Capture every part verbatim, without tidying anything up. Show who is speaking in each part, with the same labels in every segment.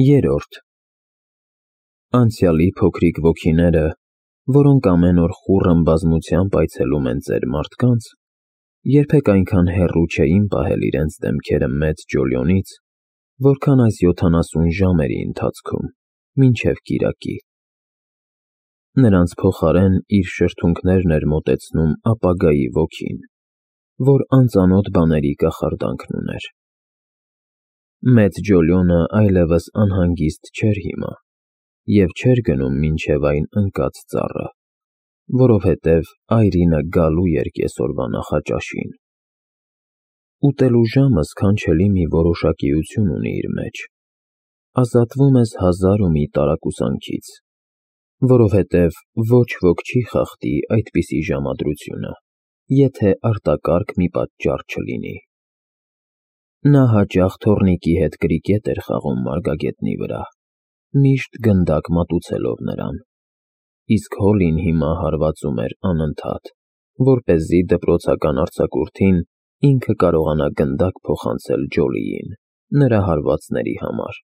Speaker 1: Երորդ Անցյալի փոքրիկ ոգիները, որոնք ամեն օր խուռն բազմությամբ այցելում են ծեր մարդկանց, երբեք այնքան հեռու չէին պահել իրենց դեմքերը մեծ Ջոլիոնից, որքան այս յոթանասուն ժամերի ընթացքում, մինչև կիրակի։ Նրանց փոխարեն իր շրթունքներն էր մոտեցնում ապագայի ոգին, որ անծանոթ բաների կախարդանքն ուներ։ Մեծ Ջոլիոնը այլևս անհանգիստ չէր հիմա և չէր գնում մինչև այն ընկած ծառը, որովհետև այրինը գալու էր կեսօրվա նախաճաշին։ Ուտելու ժամը սքանչելի մի որոշակիություն ունի իր մեջ, ազատվում ես հազար ու մի տարակուսանքից, որովհետև ոչ ոք չի խախտի այդպիսի ժամադրությունը, եթե արտակարգ մի պատճառ չլինի։ Նա հաճախ թոռնիկի հետ կրիկետ էր խաղում մարգագետնի վրա, միշտ գնդակ մատուցելով նրան, իսկ Հոլին հիմա հարվածում էր անընդհատ, որպեսզի դպրոցական արձակուրդին ինքը կարողանա գնդակ փոխանցել Ջոլիին, նրա հարվածների համար։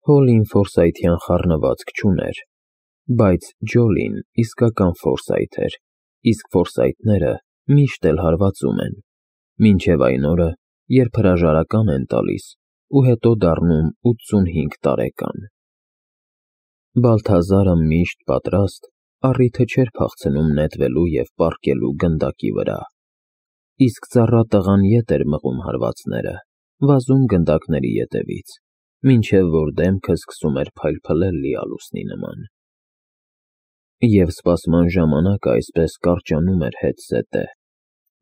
Speaker 1: Հոլին ֆորսայթյան խառնվածք չուներ, բայց Ջոլին իսկական ֆորսայթ էր, իսկ ֆորսայթները միշտ էլ հարվածում են, մինչև այն օրը, երբ հրաժարական են տալիս ու հետո դառնում ութսունհինգ տարեկան։ Բալթազարը միշտ պատրաստ, առիթը չէր փախցնում նետվելու և պառկելու գնդակի վրա, իսկ ծառատղան ետ էր մղում հարվածները, վազում գնդակների ետևից, մինչև որ դեմքը սկսում էր փայլփլել լիալուսնի նման։ Եվ սպասման ժամանակը այսպես կարճանում էր հետզհետե,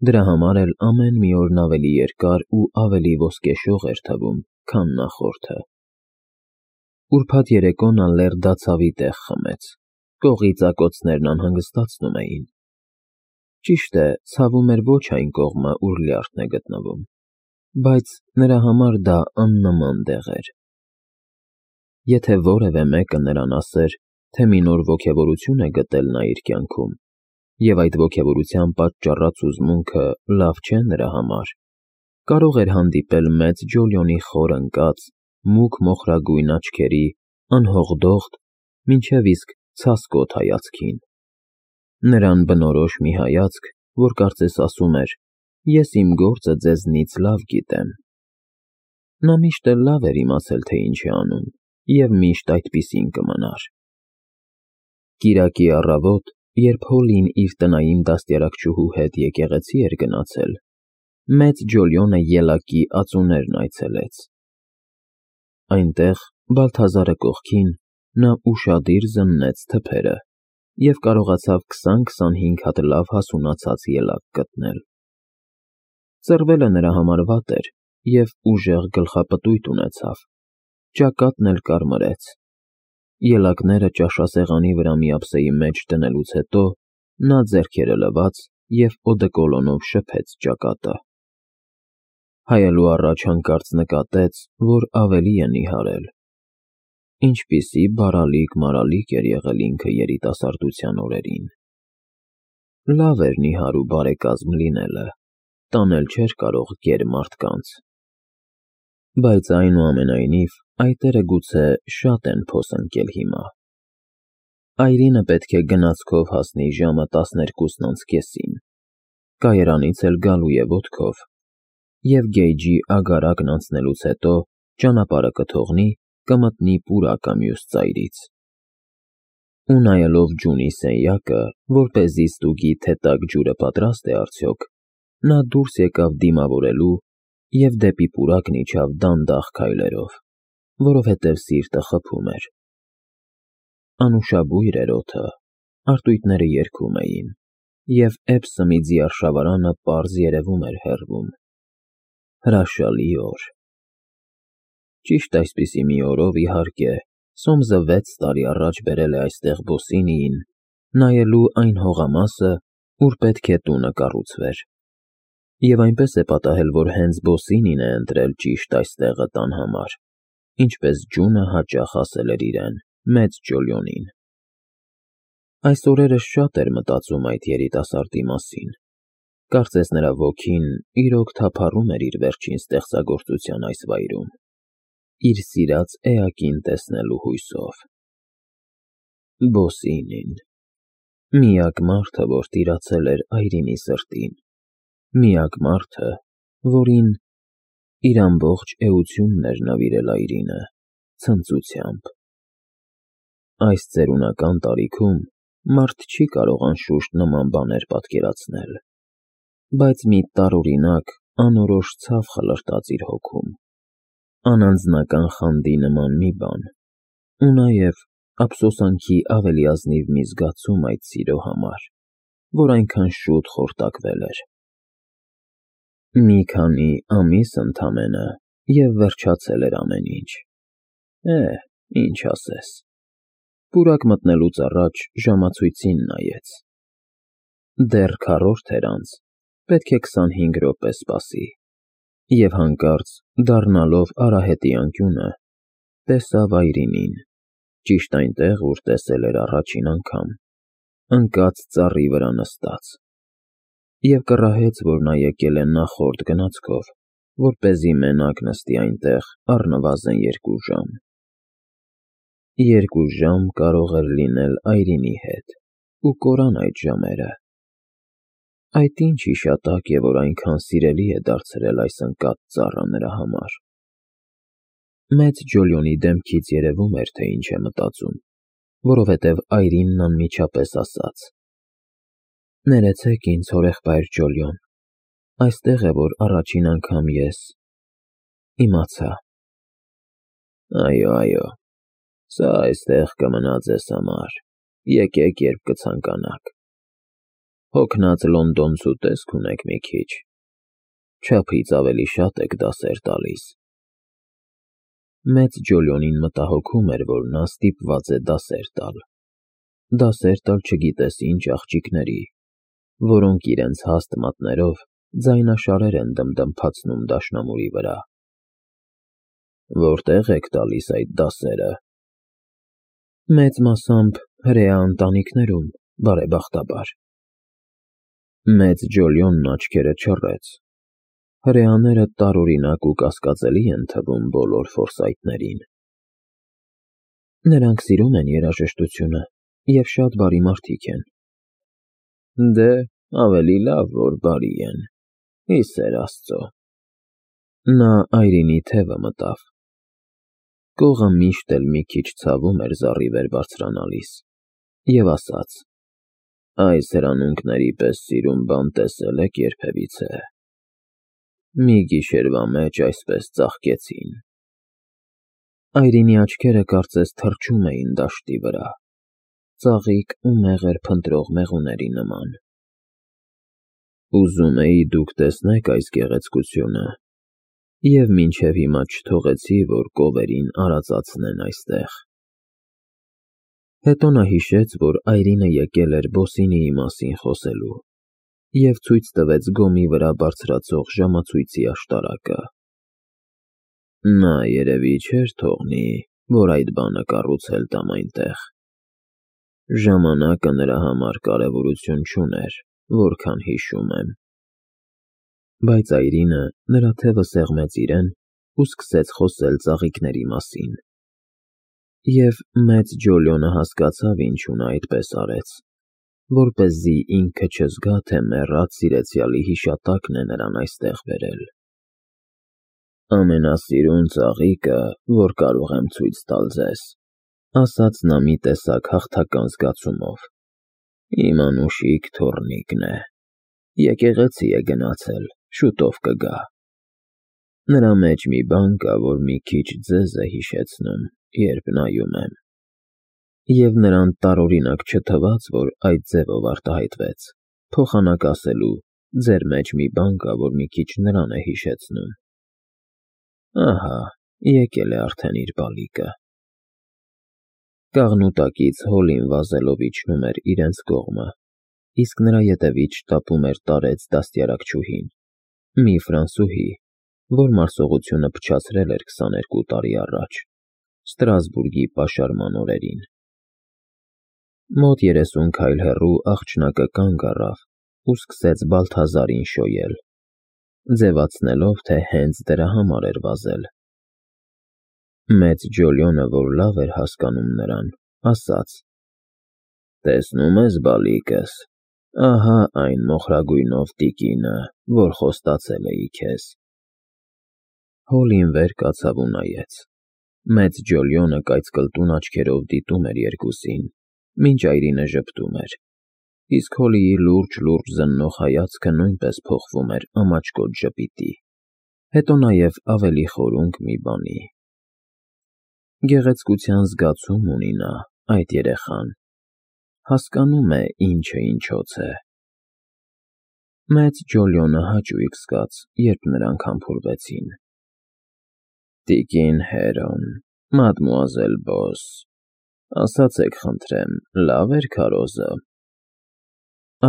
Speaker 1: դրա համար էլ ամեն մի օրն ավելի երկար ու ավելի ոսկեշող էր թվում, քան նախորդը։ Ուրբաթ երեկո նա լեռնադացավի տեղ խմեց, կողի ծակոցներն անհանգստացնում էին։ Ճիշտ է, ցավում էր ոչ այն կողմը, ուր լյարդն է գտնվում, բայց նրա համար դա աննման տեղ էր։ Եթե որևէ մեկը նրան ասեր, թե մի նոր ոգևորություն է գտել նա իր կյանքում, և այդ ոգևորության պատճառած հուզմունքը լավ չէ նրա համար, կարող էր հանդիպել մեծ Ջոլիոնի խոր ընկած, մուգ մոխրագույն աչքերի, անհողդողդ, մինչև իսկ ցասկոտ հայացքին, նրան բնորոշ մի հայացք, որ կարծես ասում էր. «Ես իմ գործը ձեզնից լավ գիտեմ»։ Նա միշտ էլ լավ էր իմացել, թե ինչ է անում, և միշտ այդպիսին կմնար։ Կիրակի առավոտ, երբ Հոլին իր տնային դաստիարակչուհու հետ եկեղեցի էր գնացել, մեծ Ջոլիոնը ելակի ածուներն այցելեց։ Այնտեղ, Բալթազարը կողքին, նա ուշադիր զննեց թփերը և կարողացավ քսան-քսանհինգ հատ լավ հասունացած ելակ գտնել։ Ծռվելը նրա համար վատ էր և ուժեղ գլխապտույտ ունեցավ, ճակատն էլ կարմրեց։ Ելակները ճաշասեղանի վրա միապսեի մեջ դնելուց հետո նա ձեռքերը լվաց և օդեկոլոնով շփեց ճակատը։ Հայելու առաջ հանկարծ նկատեց, որ ավելի է նիհարել։ Ինչպիսի բարալիկ֊մարալիկ էր եղել ինքը երիտասարդության օրերին։ Լավ էր նիհար ու բարեկազմ լինելը, տանել չէր կարող գեր մարդկանց։ Բայց այնուամենայնիվ այտերը գուցե շատ են փոս ընկել հիմա։ Այրինը պետք է գնացքով հասնի ժամը տասներկուսն անց կեսին, կայարանից էլ գալու է ոտքով, և գեյջի ագարակն անցնելուց հետո ճանապարհը կթողնի, կմտնի պուրակը մյուս ծայրից։ Ու նայելով ջունի սենյակը, որպեսզի ստուգի, թե տաք ջուրը պատրաստ է արդյոք, նա դուրս եկավ դիմավորելու և դեպի պուրակն իջավ դանդաղ քայլերով, որովհետև սիրտը խփում էր։ Անուշաբույր էր օդը, արծույթները երգում էին, և Էբսըմիձի արշավարանը պարզ երևում էր հեռվում։ Հրաշալի օր։ Ճիշտ այսպիսի մի օրով, իհարկե, Սոմսը վեց տարի առաջ բերել է այստեղ Բոսինիին, նայելու այն հողամասը, ուր պետք է տունը կառուցվեր, և այնպես է պատահել, որ հենց Բոսինին է ընտրել ճիշտ այս տեղը տան համար, ինչպես ջունը հաճախ ասել էր իրեն, մեծ Ջոլիոնին։ Այս օրերս շատ էր մտածում այդ երիտասարդի մասին, կարծես նրա ոգին իրոք թափառում էր իր վերջին ստեղծագործության այս վայրում։ իր սիրած էակին տեսնելու հույսով։ Բոսինին, միակ մարդը, որ տիրացել էր այրինի սրտին, միակ մարդը, որին իր ամբողջ էությունն էր նվիրել այրինը, ցնծությամբ։ Այս ծերունական տարիքում մարդ չի կարող անշուշտ նման բաներ պատկերացնել, բայց մի տարօրինակ, անորոշ ցավ խլրտաց իր հոգում, անանձնական խանդի նման մի բան, ու նաև ափսոսանքի ավելի ազնիվ մի զգացում այդ սիրո համար, որ այնքան շուտ խորտակվել էր։ Մի քանի ամիս ընդամենը, և վերջացել էր ամեն ինչ։ Է, ինչ ասես։ Պուրակ մտնելուց առաջ ժամացույցին նայեց։ Դեռ քառորդ էր անց, պետք է քսանհինգ րոպե սպասի, և հանկարծ, դառնալով արահետի անկյունը, տեսավ այրինին, ճիշտ այնտեղ, ուր տեսել էր առաջին անգամ, ընկած ծառի վրա նստած, և կռահեց, որ նա եկել է նախորդ գնացքով, որպեսզի մենակ նստի այնտեղ առնվազն երկու ժամ։ Երկու ժամ կարող էր լինել այրինի հետ ու կորան այդ ժամերը։ Այդ ինչ հիշատակ է, որ այնքան սիրելի է դարձրել այս ընկած ծառը նրա համար։ Մեծ Ջոլիոնի դեմքից երևում էր, թե ինչ է մտածում, որովհետև այրինն անմիջապես ասաց. «Ներեցեք ինձ, հորեղբայր Ջոլիոն, այստեղ է, որ առաջին անգամ ես… իմացա»։ Այո, այո, սա այստեղ կմնա ձեզ համար, եկեք, երբ կցանկանաք։ Հոգնած լոնդոնցու տեսք ունեք մի քիչ, չափից ավելի շատ եք դասեր տալիս։ Մեծ Ջոլիոնին մտահոգում էր, որ նա ստիպված է դասեր տալ, դասեր տալ չգիտես ինչ աղջիկների, որոնք իրենց հաստ մատներով ձայնաշարեր են դմդմփացնում դաշնամուրի վրա։ Որտե՞ղ եք տալիս այդ դասերը։ Մեծ մասամբ հրեա ընտանիքներում, բարեբախտաբար։ Մեծ Ջոլիոնն աչքերը չռեց։ Հրեաները տարօրինակ ու կասկածելի են թվում բոլոր ֆորսայթներին։ Նրանք սիրում են երաժշտությունը և շատ բարի մարդիկ են։ Դե, ավելի լավ, որ բարի են, ի սեր Աստծո։ Նա այրինի թևը մտավ։ Կողը միշտ էլ մի քիչ ցավում էր զառի վեր բարձրանալիս, և ասաց. «Այս հրանունքների պես սիրուն բան տեսե՞լ եք երբևիցե։ Մի գիշերվա մեջ այսպես ծաղկեցին»։ Այրինի աչքերը կարծես թռչում էին դաշտի վրա, ծաղիկ ու մեղր փնտրող մեղուների նման։ Ուզում էի դուք տեսնեք այս գեղեցկությունը, և մինչև հիմա չթողեցի, որ կովերին արածացնեն այստեղ։ Հետո նա հիշեց, որ այրինը եկել էր Բոսինիի մասին խոսելու, և ցույց տվեց գոմի վրա բարձրացող ժամացույցի աշտարակը։ Նա երևի չէր թողնի, որ այդ բանը կառուցել տամ այնտեղ։ Ժամանակը նրա համար կարևորություն չուներ, որքան հիշում եմ։ Բայց այրինը նրա թևը սեղմեց իրեն ու սկսեց խոսել ծաղիկների մասին։ Եվ մեծ Ջոլիոնը հասկացավ ինչու նա այդպես արեց, որպեսզի ինքը չզգա, թե մեռած սիրեցյալի հիշատակն է նրան այստեղ բերել։ Ամենասիրուն ծաղիկը, որ կարող եմ ցույց տալ ձեզ, ասաց նա մի տեսակ հաղթական զգացումով, իմ անուշիկ թոռնիկն է, եկեղեցի է գնացել, շուտով կգա։ Նրա մեջ մի բան կա, որ մի քիչ ձեզ է հիշեցնում, երբ նայում եմ։ Եվ նրան տարօրինակ չթվաց, որ այդ ձևով արտահայտվեց, փոխանակ ասելու. ձեր մեջ մի բան կա, որ մի քիչ նրան է հիշեցնում։ Ահա, եկել է արդեն իր բալիկը։ Կաղնուտակից հոլին վազելով իջնում էր իրենց կողմը, իսկ նրա ետևից շտապում էր տարեց դաստիարակչուհին, մի ֆրանսուհի, որ մարսողությունը փչացրել էր քսաներկու տարի առաջ, Ստրասբուրգի պաշարման օրերին։ Մոտ երեսուն քայլ հեռու աղջնակը կանգ առավ ու սկսեց Բալթազարին շոյել, ձևացնելով, թե հենց դրա համար էր վազել։ Մեծ Ջոլիոնը, որ լավ էր հասկանում նրան, ասաց. «Տեսնում ես, բալիկս, ահա այն մոխրագույնով տիկինը, որ խոստացել էի քեզ»։ Հոլին վեր կացավ ու նայեց։ Մեծ Ջոլիոնը կայծկլտուն աչքերով դիտում էր երկուսին, մինչ այրինը ժպտում էր, իսկ Հոլիի լուրջ-լուրջ զննող հայացքը նույնպես փոխվում էր ամաչկոտ ժպիտի, հետո նաև ավելի խորունկ մի բանի։ Գեղեցկության զգացում ունի նա, այդ երեխան, հասկանում է ինչը ինչոց է։ Մեծ Ջոլիոնը հաճույք զգաց, երբ նրանք համբուրվեցին։ «Տիկին Հերոն, մադմուազել Բոս, ասացեք խնդրեմ, լավ էր քարոզը»։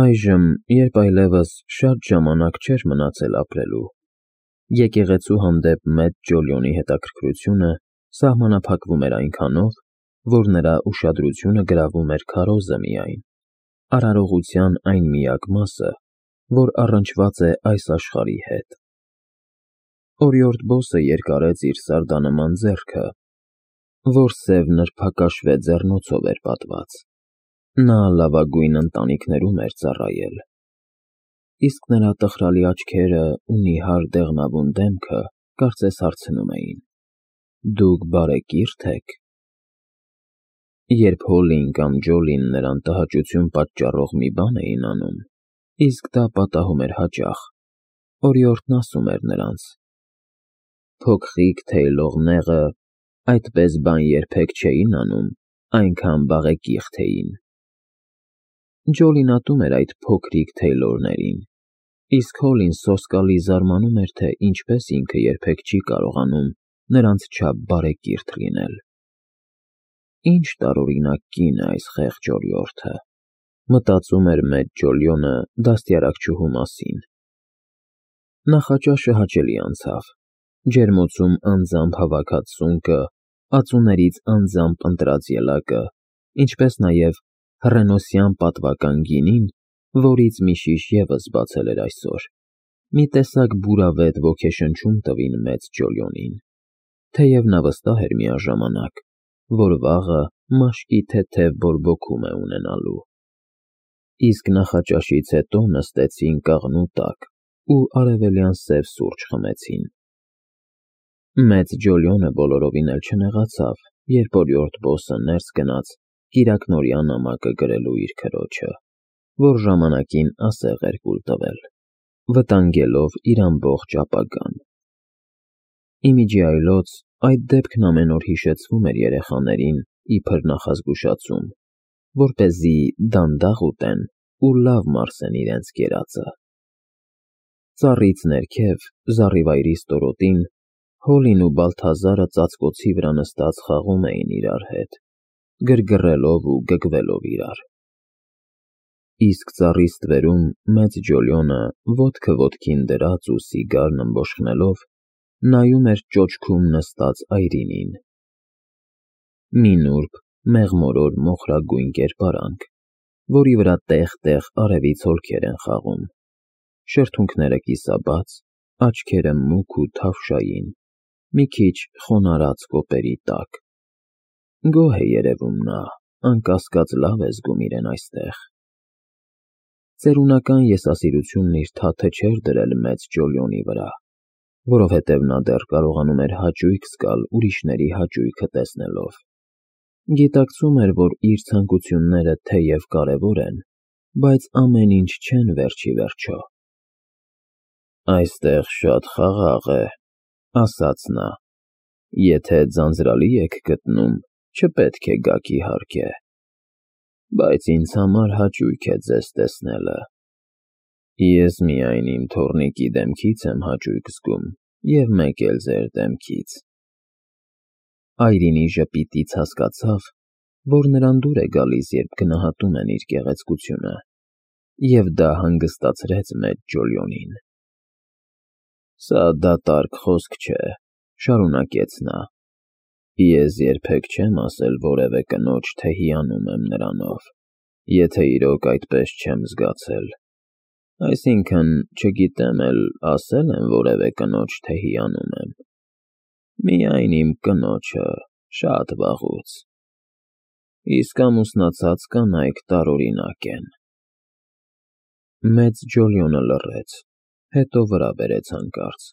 Speaker 1: Այժմ, երբ այլևս շատ ժամանակ չէր մնացել ապրելու, եկեղեցու հանդեպ մեծ Ջոլիոնի հետաքրքրությունը սահմանափակվում էր այնքանով, որ նրա ուշադրությունը գրավում էր քարոզը միայն, արարողության այն միակ մասը, որ առնչված է այս աշխարհի հետ։ Օրիորդ Բոսը երկարեց իր սարդանման ձեռքը, որ սև նրբակաշվե ձեռնոցով էր պատված։ Նա լավագույն ընտանիքներում էր ծառայել, իսկ նրա տխրալի աչքերը ու նիհար դեղնավուն դեմքը կարծես հարցնում էին. «Դուք բարեկի՞րթ եք»։ Երբ Հոլին կամ Ջոլին նրան տհաճություն պատճառող մի բան էին անում, իսկ դա պատահում էր հաճախ, օրիորդն ասում էր նրանց. «Փոքրիկ թեյլող նեղը այդպես բան երբեք չէին անում, այնքան բաղեկիղթ էին»։ Ջոլին ատում էր այդ փոքրիկ թեյլորներին, իսկ Հոլին սոսկալի զարմանում էր, թե ինչպես ինքը երբեք չի կարողանում նրանց չափ բարեկիրթ լինել։ Ինչ տարօրինակ կին է այս խեղճ օրիորդը, մտածում էր մեծ Ջոլիոնը դաստիարակչուհու մասին։ Նախաճաշը հաճելի անցավ, ջերմոցում անձամբ հավաքած սունկը, ածուներից անձամբ ընտրած ելակը, ինչպես նաև հռենոսյան պատվական գինին, որից մի շիշ ևս բացել էր այսօր, մի տեսակ բուրավետ ոգեշնչում տվին մեծ Ջոլիոնին, թեև նա վստահ էր միաժամանակ, որ վաղը մաշկի թեթև բորբոքում է ունենալու։ Իսկ նախաճաշից հետո նստեցին կաղնու տակ ու արևելյան սև սուրճ խմեցին։ Մեծ Ջոլիոնը բոլորովին էլ չնեղացավ, երբ օրիորդ Բոսը ներս գնաց կիրակնօրյա նամակը գրելու իր քրոջը, որ ժամանակին ասեղ էր կուլ տվել, վտանգելով իր ամբողջ ապագան։ Ի միջի այլոց, այդ դեպքն ամեն օր հիշեցվում էր երեխաներին իբր նախազգուշացում, որպեսզի դանդաղ ուտեն ու լավ մարսեն իրենց կերածը։ Ծառից ներքև, զառիվայրի ստորոտին, Հոլին ու Բալթազարը ծածկոցի վրա նստած խաղում էին իրար հետ, գրգռելով ու գգվելով իրար։ Իսկ ծառի ստվերում մեծ Ջոլիոնը, ոտքը ոտքին դրած ու սիգարն ըմբոշխնելով, նայում էր ճոճքում նստած այրինին։ Մի նուրբ, մեղմորոր մոխրագույն կերպարանք, որի վրա տեղ֊տեղ արևից հոլքեր են խաղում, շրթունքները կիսաբաց, աչքերը մուգ ու թավշային, մի քիչ խոնարհած կոպերի տակ։ Գոհ է երևում նա, անկասկած լավ է զգում իրեն այստեղ։ Ծերունական եսասիրությունն իր թաթը չէր դրել մեծ Ջոլիոնի վրա, որովհետև նա դեռ կարողանում էր հաճույք զգալ ուրիշների հաճույքը տեսնելով։ Գիտակցում էր, որ իր ցանկությունները թեև կարևոր են, բայց ամեն ինչ չեն վերջիվերջո։ «Այստեղ շատ խաղաղ է», ասաց նա, «եթե ձանձրալի եք գտնում, չպետք է գաք իհարկե, բայց ինձ համար հաճույք է ձեզ տեսնելը։ Ես միայն իմ թոռնիկի դեմքից եմ հաճույք զգում և մեկ էլ ձեր դեմքից»։ Այրինի ժպիտից հասկացավ, որ նրան դուր է գալիս, երբ գնահատում են իր գեղեցկությունը, և դա հանգստացրեց մեծ Ջոլիոնին։ «Սա դատարկ խոսք չէ», շարունակեց նա, «ես երբեք չեմ ասել որևէ կնոջ, թե հիանում եմ նրանով, եթե իրոք այդպես չեմ զգացել, այսինքն՝ չգիտեմ էլ ասել եմ որևէ կնոջ, թե հիանում եմ։ Միայն իմ կնոջը շատ վաղուց, իսկ ամուսնացած կանայք տարօրինակ են։ Մեծ Ջոլիոնը լռեց, հետո վրա բերեց հանկարծ.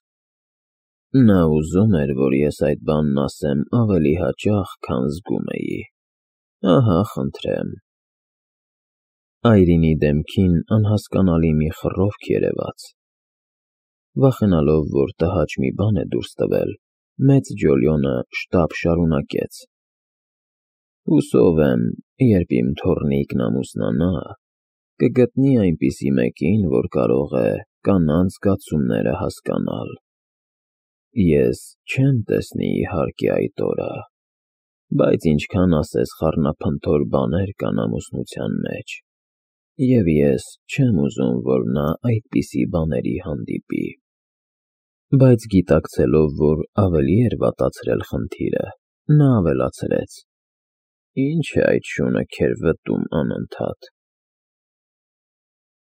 Speaker 1: Նա ուզում էր, որ ես այդ բանն ասեմ ավելի հաճախ, քան զգում էի, ահա խնդրեմ… Այրինի դեմքին անհասկանալի մի խռովք երևաց. վախենալով, որ տհաճ մի բան է դուրս տվել, մեծ Ջոլիոնը շտապ շարունակեց. Հուսով եմ, երբ իմ թոռնիկն ամուսնանա, կգտնի այնպիսի մեկին, որ կարող է կանանց զգացումները հասկանալ… Ես չեմ տեսնի, իհարկե, այդ օրը, բայց ինչքան ասես խառնափնթոր բաներ կան ամուսնության մեջ, և ես չեմ ուզում, որ նա այդպիսի բաների հանդիպի… Բայց գիտակցելով, որ ավելի էր վատացրել խնդիրը, նա ավելացրեց. Ի՞նչ է այդ շունը քեր վտում անընդհատ…